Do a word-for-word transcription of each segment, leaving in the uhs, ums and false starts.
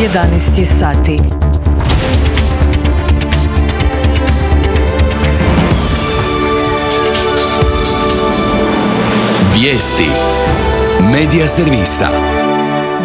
jedanaest sati. Vijesti Medija servisa.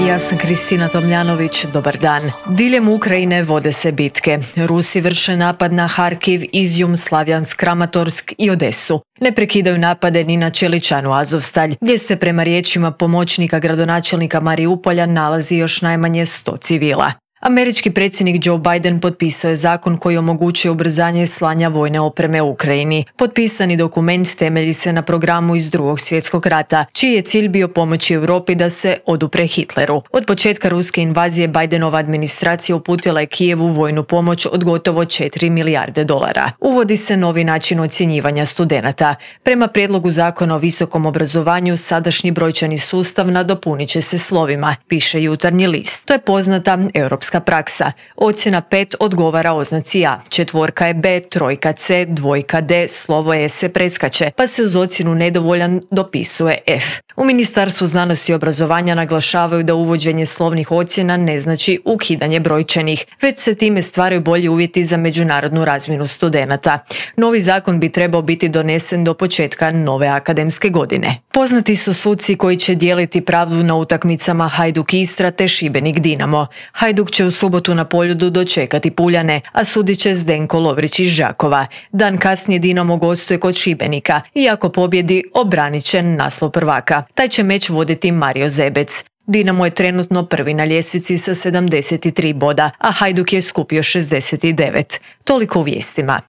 Ja sam Kristina Tomljanović, dobar dan. Diljem Ukrajine vode se bitke. Rusi vrše napad na Harkiv, Izjum, Slavjansk, Kramatorsk i Odesu. Ne prekidaju napade ni na Čeličanu, Azovstalj, gdje se prema riječima pomoćnika gradonačelnika Mariupolja nalazi još najmanje sto civila. Američki predsjednik Joe Biden potpisao je zakon koji omogućuje ubrzanje slanja vojne opreme u Ukrajini. Potpisani dokument temelji se na programu iz Drugog svjetskog rata, čiji je cilj bio pomoći Europi da se odupre Hitleru. Od početka ruske invazije Bidenova administracija uputila je Kijevu vojnu pomoć od gotovo četiri milijarde dolara. Uvodi se novi način ocjenjivanja studenata. Prema prijedlogu zakona o visokom obrazovanju, sadašnji brojčani sustav nadopunit će se slovima, piše Jutarnji list. To je poznata europska praksa. Ocjena pet odgovara oznaci A, četvorka je B, trojka C, dvojka D, slovo E se preskače, pa se uz ocjenu nedovoljan dopisuje F. U Ministarstvu znanosti i obrazovanja naglašavaju da uvođenje slovnih ocjena ne znači ukidanje brojčanih, već se time stvaraju bolji uvjeti za međunarodnu razmjenu studenata. Novi zakon bi trebao biti donesen do početka nove akademske godine. Poznati su suci koji će dijeliti pravdu na utakmicama Hajduk Istra te Šibenik Dinamo. Hajduk će u subotu na Poljudu dočekati Puljane, a sudit će Zdenko Lovrić iz Đakova. Dan kasnije Dinamo gostuje kod Šibenika i ako pobjedi obranit će naslov prvaka. Taj će meč voditi Mario Zebec. Dinamo je trenutno prvi na ljestvici sa sedamdeset tri boda, a Hajduk je skupio šezdeset devet. Toliko u vijestima.